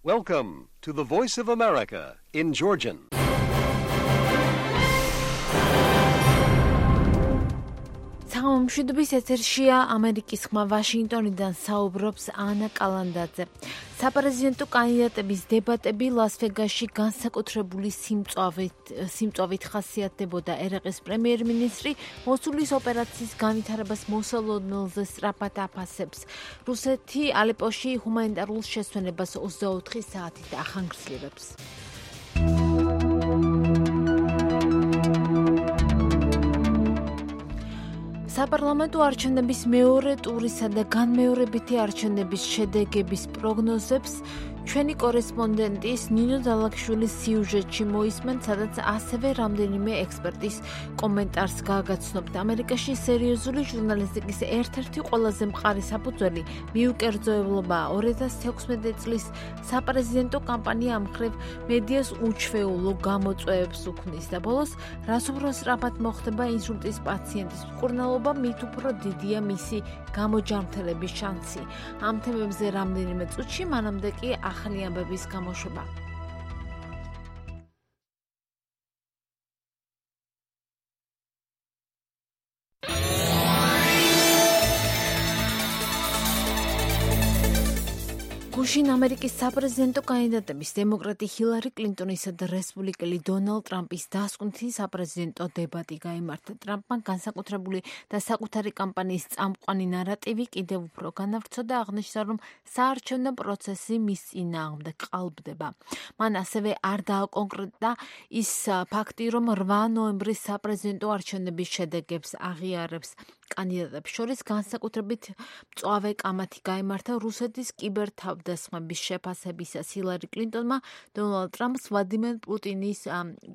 Welcome to the Voice of America in Georgian. მშვიდობის ეთერშია ამერიკის ხმა ვაშინგტონიდან საუბრობს ანა კალანდაძე. საპრეზიდენტო კანდიდატების დებატები ლას-ვეგასში განსაკუთრებული სიმწვავით ხასიათდებოდა. ერაყის პრემიერ-მინისტრი მოსულის ოპერაციის განვითარებას მოსალოდნელზე სწრაფად აფასებს. რუსეთი ალეპოში ჰუმანიტარულ შესვენებას 24 საათით ახანგრძლივებს. საპარლამენტო არჩევნების მეორე ტურისა და განმეორებითი არჩევნების შედეგების პროგნოზებს ჩვენი კორესპონდენტის ნინო დალაქშვილის სიუჟეტში მოისმენთ, სადაც ასევე რამდენიმე ექსპერტის კომენტარს გააგაცნობთ. ამერიკაში სერიოზული ჟურნალისტიკის ერთ-ერთი ყველაზე მყარი საფუძველი მიუკერძოებლობაა. 2016 წლის საპრეზიდენტო კამპანია ამხრივ მედიას უჩვეულო გამოწვევებს უქმნის და ბოლოს რას უფრო სწრაფად მოხდება ინსულტის პაციენტის მკურნალობა, მით უფრო დიდია მისი გამოჯანმრთელების შანსი. ამ თემებზე რამდენიმე წუთში, მანამდე კი ახალი ამბების გამოშვება. გუშინ ამერიკის საპრეზიდენტო კანდიდატების დემოკრატი ჰილარი კლინტონისა და რესპუბლიკელი დონალდ ტრამპის დასკვნითი საპრეზიდენტო დებატი გაიმართა. ტრამპმა განსაკუთრებული და საკუთარი კამპანიის წამყვანი ნარატივი კიდევ უფრო განავრცო და აღნიშნა, რომ საარჩევნო პროცესი მის წინააღმდეგ ყალბდება. მან ასევე არ დააკონკრეტა ის ფაქტი, რომ 8 ნოემბრის საპრეზიდენტო არჩევნების შედეგებს აღიარებს. კანდიდატებს შორის განსაკუთრებით მწვავე კამათი გაიმართა რუსეთის კიბერთავდასხმების შეფასებისას. ჰილარი კლინტონმა დონალდ ტრამპს ვლადიმერ პუტინის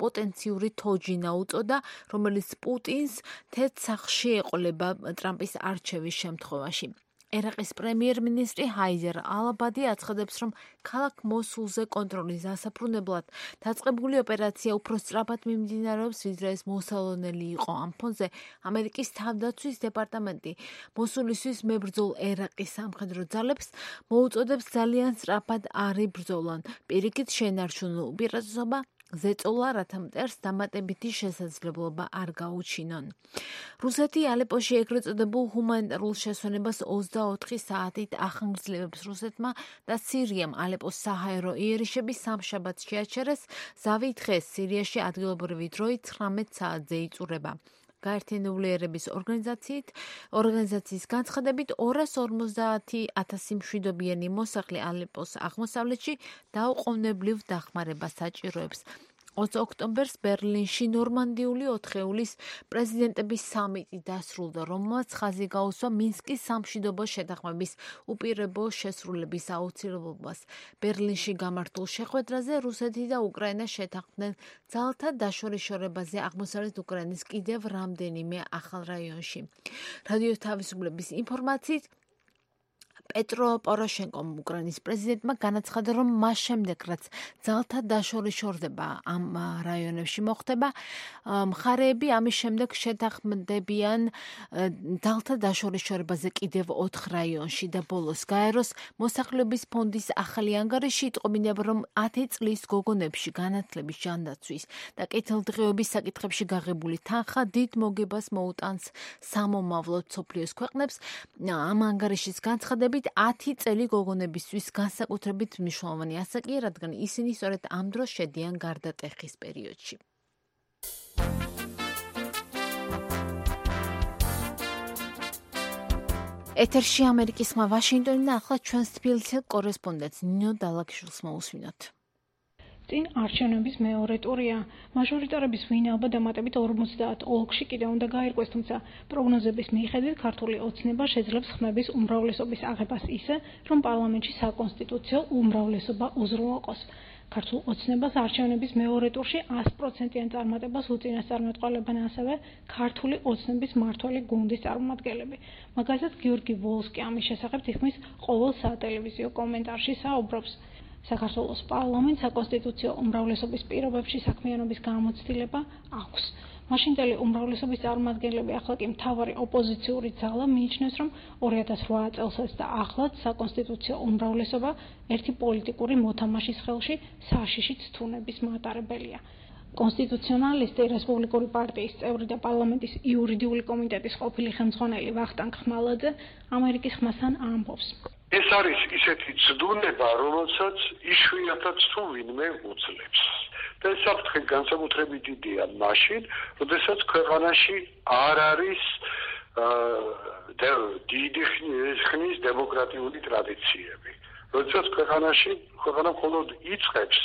პოტენციური თოჯინა უწოდა, რომელიც პუტინს თეთრ სახლში ეყოლება ტრამპის არჩევის შემთხვევაში. ერაყის პრემიერ-მინისტრი ჰაიდარ ალ-აბადი აცხადებს, რომ ქალაქ მოსულზე კონტროლის დასაფრუნებლად დაწყებული ოპერაცია უფრო სწრაფად მიმდინარეობს, ვიდრე ეს მოსალოდნელი იყო. ამ ფონზე ამერიკის თავდაცვის დეპარტამენტი მოსულისთვის მებრძოლ ერაყის სამხედრო ძალებს მოუწოდებს ძალიან სწრაფად არ იბრძოლონ. პირიქით შენარჩუნო უპირატესობა ზეწოლა, რათა მტერს დამატებითი შესაძლებლობა არ გაუჩინონ. რუსეთი ალეპოში ეგრეთ წოდებულ ჰუმანიტარულ შესვენებას 24 საათით ახანგრძლივებს. რუსეთმა და სირიამ ალეპოს საჰაერო იერიშები სამშაბათს შეაჩერეს. ზავი დღეს სირიაში ადგილობრივი დროით 19 საათზე იწურება. გაერთიანებული ერების ორგანიზაციის განცხადებით 250,000 მშვიდობიანი მოსახლე ალეპოს აღმოსავლეთში დაუყოვნებლივ დახმარებას საჭიროებს. 20 ოქტომბერს ბერლინში ნორმანდიული 4-ეულის პრეზიდენტების სამიტი დასრულდა, რომელმაც ხაზი გაუსვა მინსკის სამშვიდობო შეთანხმების უპირობო შესრულების აუცილებლობას. ბერლინში გამართულ შეხვედრაზე რუსეთი და უკრაინა შეთანხმდნენ ძალთა დაშორიშორებაზე აღმოსავლეთ უკრაინის კიდევ რამდენიმე ახალ რაიონში. რადიო თავისუფლების ინფორმაციით პეტრო პოროშენკომ უკრაინის პრეზიდენტმა განაცხადა, რომ მას შემდეგ, რაც ძალთა დაშორიშორება ამ რაიონებში მოხდება, მხარეები ამის შემდეგ შეთანხმდებიან ძალთა დაშორიშორებაზე კიდევ 4 რაიონში და ბოლოს გაეროს მოსახლეობის ფონდის ახალი ანგარიში იტყობინება, რომ 10 წლის გოგონებში განათლების ჯანდაცვის და კეთილდღეობის საკითხებში გაღებული თანხა დიდ მოგებას მოუტანს სამომავლოდ მსოფლიოს ქვეყნებს. ამ ანგარიშის განცხადებით 10 წელი გოგონებისთვის განსაკუთრებით მნიშვნელოვანი ასაკია, რადგან ისინი სწორედ ამ დროს შედიან გარდატეხის პერიოდში. ეთერში ამერიკის ხმა ვაშინგტონიდან ახლა ჩვენს თბილისელ კორესპონდენტს ნინო დალაქშვილს მოусმინოთ. წინ არჩევნების მეორე ტურია. მაჟორიტარების ვინაობა დამატებით 50 ოლქში კიდევ უნდა გაირკვეს, თუმცა პროგნოზების მიხედვით ქართული ოცნება შეძლებს ხმების უმრავლესობის აღებას ისე, რომ პარლამენტში საკონსტიტუციო უმრავლესობა უზრუნველყოს. ქართულ ოცნებას არჩევნების მეორე ტურში 100%-იან წარმატებას უწინასწარმეტყველებენ ასევე ქართული ოცნების მმართველი გუნდის წარმომადგენლები. მაგალითად, გიორგი ვოლსკი ამის შესახებ თითქმის ყოველ სატელევიზიო კომენტარში საუბრობს. საქართველოს პარლამენტს საკონსტიტუციო უმრავლესობის პირობებში საქმიანობის გამოცდილება აქვს. მაშინდელი უმრავლესობის წარმომადგენლები ახლა კი მთავარი ოპოზიციური ძალა მიიჩნევს, რომ 2008 წელსაც და ახლაც საკონსტიტუციო უმრავლესობა ერთი პოლიტიკური მოთამაშის ხელში საშიშით თუნების მატარებელია. კონსტიტუციონალისტი რესპუბლიკური პარტიის წევრი და პარლამენტის იურიდიული კომიტეტის ყოფილი ხელმძღვანელი ვახტანგ ხმალაძე ამერიკის ხმასთან ამბობს. ეს არის ისეთი ცდუნება, რომელსაც იშვიათად თუ ვინმე უძლებს. და ეს საფრთხე განსაკუთრებით დიდია მაშინ, როდესაც ქვეყანაში არ არის დიდი ხნის დემოკრატიული ტრადიციები. როდესაც ქვეყანა მხოლოდ იწყებს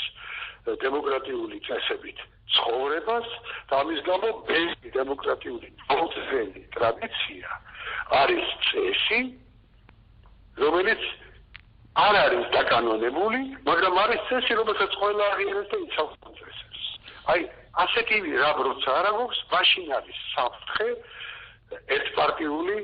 დემოკრატიული წესებით ცხოვრებას და ამის გამო ბედი დემოკრატიული მოძრაობის ტრადიცია არის წესი, რომელიც არ არის დაკანონებული, მაგრამ არის წესი, რომელსაც ყველა აღიარებს და იცავს წესებს. აი, ასეთი რა როცა არ აქვს, მაშინ არის საფრთხე ერთპარტიული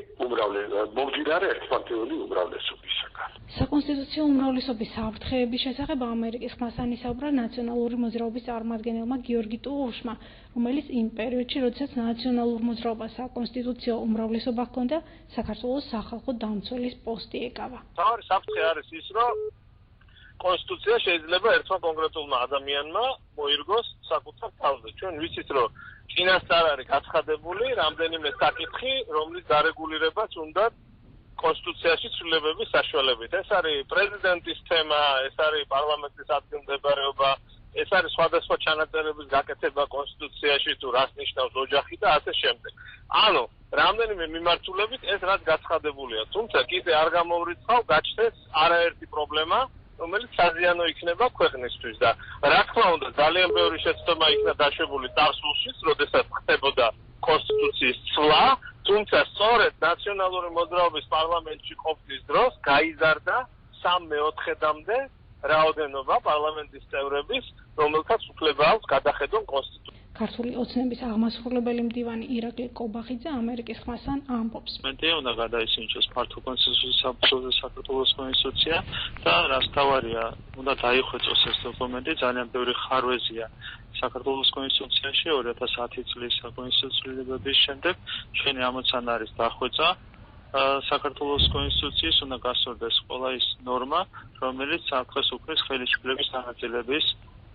უმრავლესობისაგან. საკონსტიტუციო უმრავლესობის საფრთხეების შესახებ ამერიკის ხმასთან ისაუბრა ნაციონალური მოძრაობის წარმომადგენელმა გიორგი ტუღუშმა, რომელიც იმ პერიოდში, როდესაც ნაციონალურ მოძრაობას საკონსტიტუციო უმრავლესობა ჰქონდა, საქართველოს სახალხო დამცველის პოსტი ეკავა. თავი საფრთხე არის ის, რომ კონსტიტუცია შეიძლება ერთმა კონკრეტულმა ადამიანმა მოირგოს საკუთარ თავზე. ჩვენ ვიცით, რომ წინასწარ არის გაცხადებული რამდენიმე საკითხი, რომლის დარეგულირებაც უნდა კონსტიტუციაში ცვლილებების საშუალებით. ეს არის პრეზიდენტის თემა, ეს არის პარლამენტის ადგილმდებარეობა, ეს არის სხვადასხვა ჩანაწერების გაკეთება კონსტიტუციაში, თუ რას ნიშნავს ოჯახი და ასე შემდეგ. ანუ რამდენიმე მიმართულებით ეს რაც გაცხადებულია, თუმცა კიდე არ გამოვრიცხავ გაჩნდეს არაერთი პრობლემა, რომელიც საზიანო იქნება ქვეყნისთვის და რა თქმა უნდა ძალიან ბევრი შეცდომა იქნა დაშვებული წარსულში, როდესაც ხდებოდა კონსტიტუციის ცვლა, თუმცა სწორედ ნაციონალური მოძრაობის პარლამენტში ყოფნის დროს გაიზარდა 3/4-მდე რაოდენობა პარლამენტის წევრების, რომელთაც უფლება აქვს გადახედონ კონსტიტუცია. ქართული ოცნების აღმასრულებელი მდივანი ირაკლი კობახიძე ამერიკის ხმასთან ამბობს. მედია უნდა გადაისინჯოს ფართო კონსენსუსის საფუძველზე საქართველოს კონსტიტუცია და რაც თავარია, უნდა დაიხვეწოს ეს დოკუმენტი, ძალიან ბევრი ხარვეზია საქართველოს კონსტიტუციაში 2010 წლის საკონსტიტუციების შემდეგ ჩვენი ამოცანა არის დახვეწა საქართველოს კონსტიტუციის უნდა გასწორდეს ყველა ის ნორმა, რომელიც საფრთხეს უქმნის ხელისუფლების განაწილების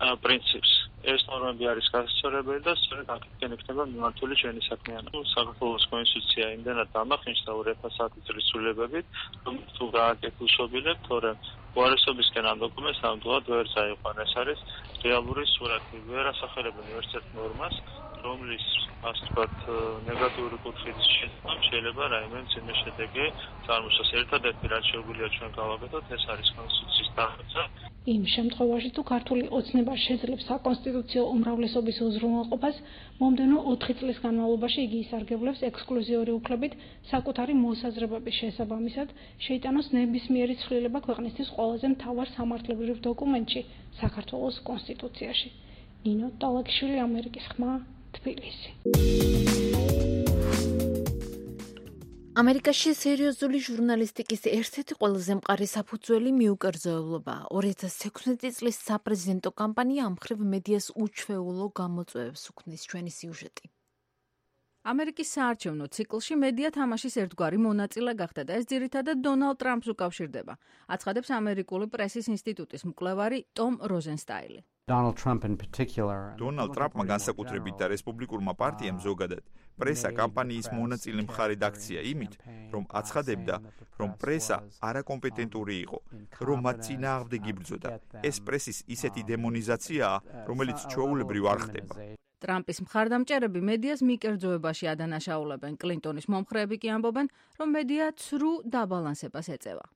პრინციპს. ეს ნორმები არის გასწორებელი და სწორედ აქედან იქნება მიმართული ჩვენი საქმიანობა. საქართველოს კონსტიტუცია იმდენად დამახინჯდა 2010 წლის ცვლილებებით, რომ თუ გააკეთილშობილებთ, თორემ უარესობისკენ ამ დოკუმენტს ნამდვილად ვერ წაიყვან. ეს არის რეალური სურათი, ვერ ასახელებენ ერთ ნორმას, რომლის ასე ვთქვათ ნეგატიური კუთხით შეიძლება რაიმე მძიმე შედეგი წარმოშოს. ერთადერთი რაც შეუძლია ჩვენ გავაკეთოთ, ეს არის კონსტიტუციის დახვეწა. იმ შემთხვევაში თუ ქართული ოცნება შეძლებს საკონსტიტუციო უმრავლესობის უზრუნველყოფას, მომდევნო 4 წლის განმავლობაში იგი ისარგებლებს ექსკლუზიური უფლებით საკუთარი მოსაზრებების შესაბამისად შეიტანოს ნებისმიერი ცვლილება ქვეყნისთვის ყველაზე მთავარ სამართლებრივ დოკუმენტში, საქართველოს კონსტიტუციაში. ნინო ტალაკიშვილი, ამერიკის ხმა, თბილისი. ამერიკაში სერიოზული ჟურნალისტიკის ერთ-ერთი ყველაზე მყარი საფუძველი მიუკერძოებულობაა. 2016 წლის საპრეზიდენტო კამპანია ამ მხრივ მედიას უჩვეულო გამოწვევებს უქმნის ჩვენი სიუჟეტი. ამერიკის საარჩევნო ციკლში მედია თამაშის ერთგვარი მონაწილე გახდა და ეს ძირითადად დონალდ ტრამპს უკავშირდება, აცხადებს ამერიკული პრესის ინსტიტუტის მკვლევარი ტომ როზენსტაილი. დონალდ ტრამპმა განსაკუთრებით და რესპუბლიკურმა პარტიამ ზოგადად პრესა კამპანიის მონაწილე მხარედ აქცია იმით, რომ აცხადებდა, რომ პრესა არაკომპეტენტური იყო, რომ მათ წინააღმდეგ იბრძოდა. ეს პრესის ისეთი დემონიზაციაა, რომელიც ჩვეულებრივ არ ხდება. ტრამპის მხარდამჭერები მედიას მიკერძოებაში ადანაშაულებენ. კლინტონის მომხრეები კი ამბობენ, რომ მედია ცრუ დაბალანსებას ეწევა.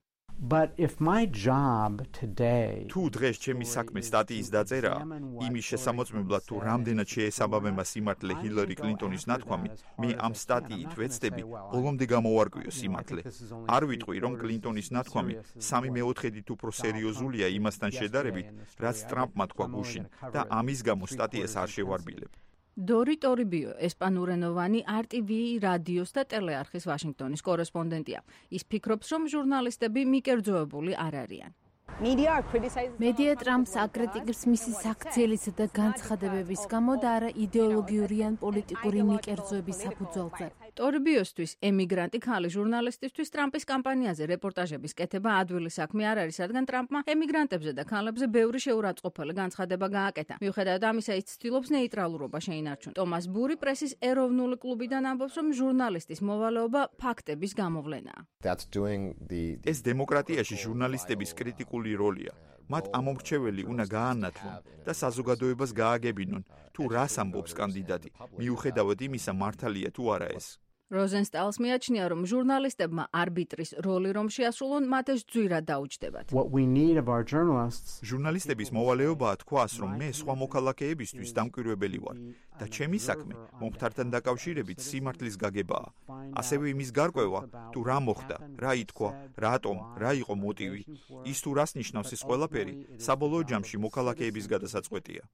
თუ დღეს ჩემი საქმე სტატიის დაწერაა, იმის შესამოწმებლად თუ რამდენად შეესაბამება სიმართლე ჰილარი კლინტონის ნათქვამი, მე ამ სტატიით ვეცდები ბოლომდე გამოვარკვიო სიმართლე. არ ვიტყვი, რომ კლინტონის ნათქვამი 3/4-ით უფრო სერიოზულია იმასთან შედარებით, რაც ტრამპმა თქვა გუშინ და ამის გამო სტატიას არ შევარბილებ. დორი ტორიბიო, ესპანურენოვანი RTV რადიოს და ტელეარხის ვაშინგტონის კორესპონდენტია. ის ფიქრობს, რომ ჟურნალისტები მიკერძოებული არ არიან. მედია ტრამპს აკრიტიკებს მისი საქციელისა და განცხადებების გამო და არა იდეოლოგიური ან პოლიტიკური ნიკერძოების საფუძველზე. ტორბიოსთვის ემიგრანტი ქალი ჟურნალისტისთვის ტრამპის კამპანიაზე რეპორტაჟების კეთება ადვილი საქმე არ არის, რადგან ტრამპმა ემიგრანტებზე და ქალებზე ბევრი შეურაცხყოფელი განცხადება გააკეთა. მიუხედავად ამისა, ის ცდილობს ნეიტრალურობა შეინარჩუნოს. ტომას ბური პრესის ეროვნული კლუბიდან ამბობს, რომ ჟურნალისტის მოვალეობა ფაქტების გამოვლენაა. ეს დემოკრატიაში ჟურნალისტების კრიტიკული როლია. მათ ამომრჩეველი უნდა გაანათლონ და საზოგადოებას გააგებინონ, თუ რას ამბობს კანდიდატი, მიუხედავად იმისა, მართალია თუ არა ეს. როზენსტაილს მიაჩნია, რომ ჟურნალისტებმა არბიტრის როლი რომ შეასრულონ, მათ ეს ძვირად დაუჯდებათ. ჟურნალისტების მოვალეობაა თქვას, რომ მე სხვა მოქალაქეებისთვის დამკვირვებელი ვარ და ჩემი საქმე მომხდართან დაკავშირებით სიმართლის გაგებაა. ასევე იმის გარკვევა, თუ რა მოხდა, რა ითქვა, რატომ, რა იყო მოტივი, ის თუ რას ნიშნავს ეს ყველაფერი, საბოლოო ჯამში მოქალაქეების გადასაწყვეტია.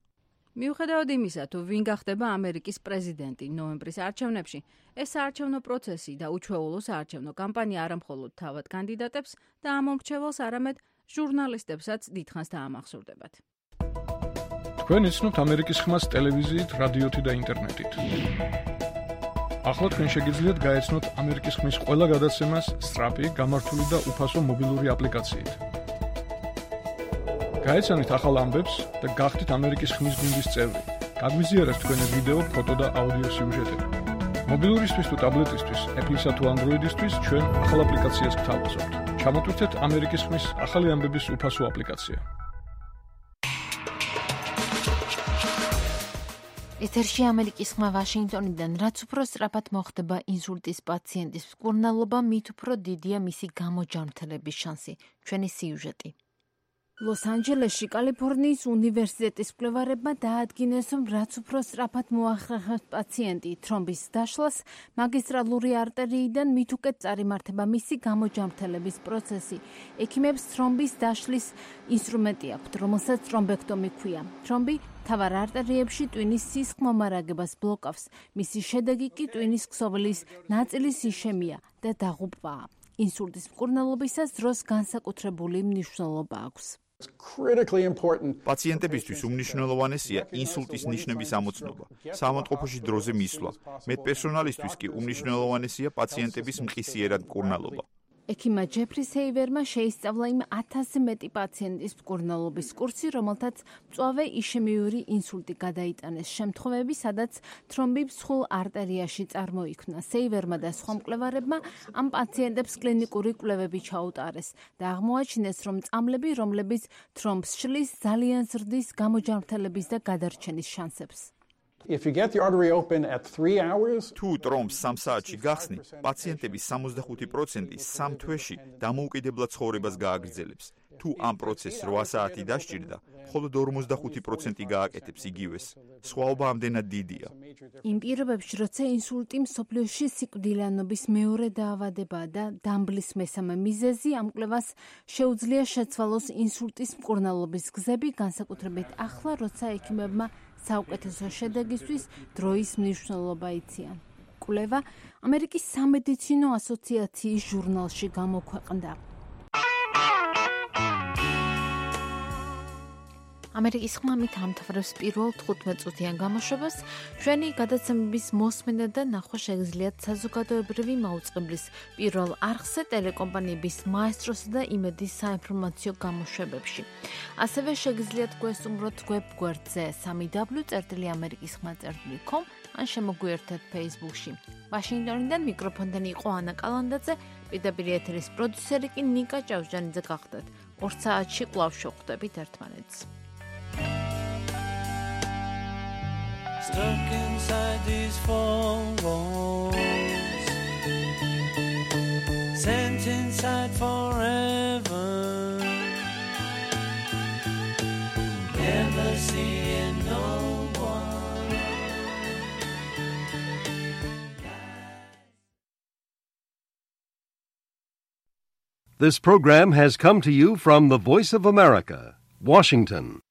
მიუხედავად იმისა, თუ ვინ გახდება ამერიკის პრეზიდენტი ნოემბრის არჩევნებში, ეს საარჩევნო პროცესი და უჩვეულო საარჩევნო კამპანია არა მხოლოდ თავად კანდიდატებს და ამომრჩეველს, არამედ ჟურნალისტებსაც დიდხანს დაამახსოვრდებათ. თქვენ იცნობთ ამერიკის ხმას ტელევიზიით, რადიოთი და ინტერნეტით. ახლა თქვენ შეგიძლიათ გაეცნოთ ამერიკის ხმის ყველა გადაცემას სწრაფი, გამართული და უფასო მობილური აპლიკაციით. გაეცანით ახალ ამბებს და გახდით ამერიკის ხმის გუნდის წევრი. გაგვიზიარეთ თქვენი ვიდეო, ფოტო და აუდიო სიუჟეტები. მობილურისთვის თუ ტაბლეტისთვის, Apple-ისა თუ Android-ისთვის ჩვენ ახალ აპლიკაციას გთავაზობთ. ჩამოტვირთეთ ამერიკის ხმის ახალი ამბების უფასო აპლიკაცია. ეთერში ამერიკის ხმა ვაშინგტონიდან, რაც უფრო სწრაფად მოხდება ინსულტის პაციენტის მკურნალობა, მით უფრო დიდია მისი გამოჯანმრთელების შანსი. ჩვენი სიუჟეტი. ლოს-ანჯელესში კალიფორნიის უნივერსიტეტის მკვლევარებმა დაადგინეს, რომ რაც უფრო სწრაფად მოახერხებს პაციენტი თრომბის დაშლას, მაგისტრალური არტერიიდან მით უკეთ წარიმართება მისი გამოჯანმრთელების პროცესი. ექიმებს თრომბის დაშლის ინსტრუმენტი აქვთ, რომელსაც თრომბექტომი ჰქვია. თრომბი მთავარ არტერიებში ტვინის სისხლმომარაგებას ბლოკავს. მისი შედეგი კი ტვინის ქსოვილის ნაწილის იშემია და დაღუპვაა. ინსულტის მკურნალობისას დროს განსაკუთრებული მნიშვნელობა აქვს. პაციენტებისთვის უმნიშვნელოვანესია ინსულტის ნიშნების ამოცნობა, საავადმყოფოში დროზე მისვლა. მედპერსონალისთვის კი უმნიშვნელოვანესია პაციენტების მყისიერად მკურნალობა. ექიმმა ჯეფრი სეივერმა შეისწავლა იმ 1000-ზე მეტი პაციენტის მკურნალობის კურსი, რომელთაც მწვავე იშემიური ინსულტი გადაიტანეს. შემთხვევები, სადაც თრომბი მსხვილ არტერიაში წარმოიქმნა. სეივერმა და სხვა მკვლევარებმა ამ პაციენტებს კლინიკური კვლევები ჩაუტარეს და აღმოაჩინეს, რომ წამლები, რომლებიც თრომბს შლის, ძალიან ზრდის გამოჯანმრთელების და გადარჩენის შანსებს. თუ ტრომბს 3 საათში გახსნი, პაციენტების 65% 3 თვეში დამოუკიდებლად ცხოვრებას გააგრძელებს. თუ ამ პროცესს 8 საათი დასჭირდა, მხოლოდ 45% გააკეთებს იგივეს. სხვაობა ამდენად დიდია. იმ პირობებში, როცა ინსულტი მსოფლიოში სიკვდილიანობის მეორე დაავადებაა და დამბლის მესამე მიზეზი, ამ კვლევას შეუძლია შეცვალოს ინსულტის მკურნალობის გზები, განსაკუთრებით ახლა, როცა ექიმებმა საუკეთესო შედეგისთვის დროის მნიშვნელობა იციან. კვლევა ამერიკის სამედიცინო ასოციაციის ჟურნალში გამოქვეყნდა. ამერიკის ხმამით ამთავრებს პირველ 15 წუთიან გამოშვებას. ჩვენი გადაცემების მოსმენა და ნახვა შეგიძლიათ საზოგადოებრივი მაუწყებლის პირველ არხზე, ტელეკომპანიების მაესტროსა და იმედის საინფორმაციო გამოშვებებში. ასევე შეგიძლიათ გვესტუმროთ ვებ-გვერდზე www.amerikiskhma.com ან შემოგვიერთეთ Facebook-ში. ვაშინგტონიდან მიკროფონთან იყო ანა კალანდაძე, პირდაპირ ეთერის პროდიუსერი კი ნიკა ჭავჭანიძე გახდათ. 2 საათში კვლავ შევხვდებით ერთმანეთს. Stuck inside these four walls, sent inside forever, never seeing no one. This program has come to you from the Voice of America, Washington.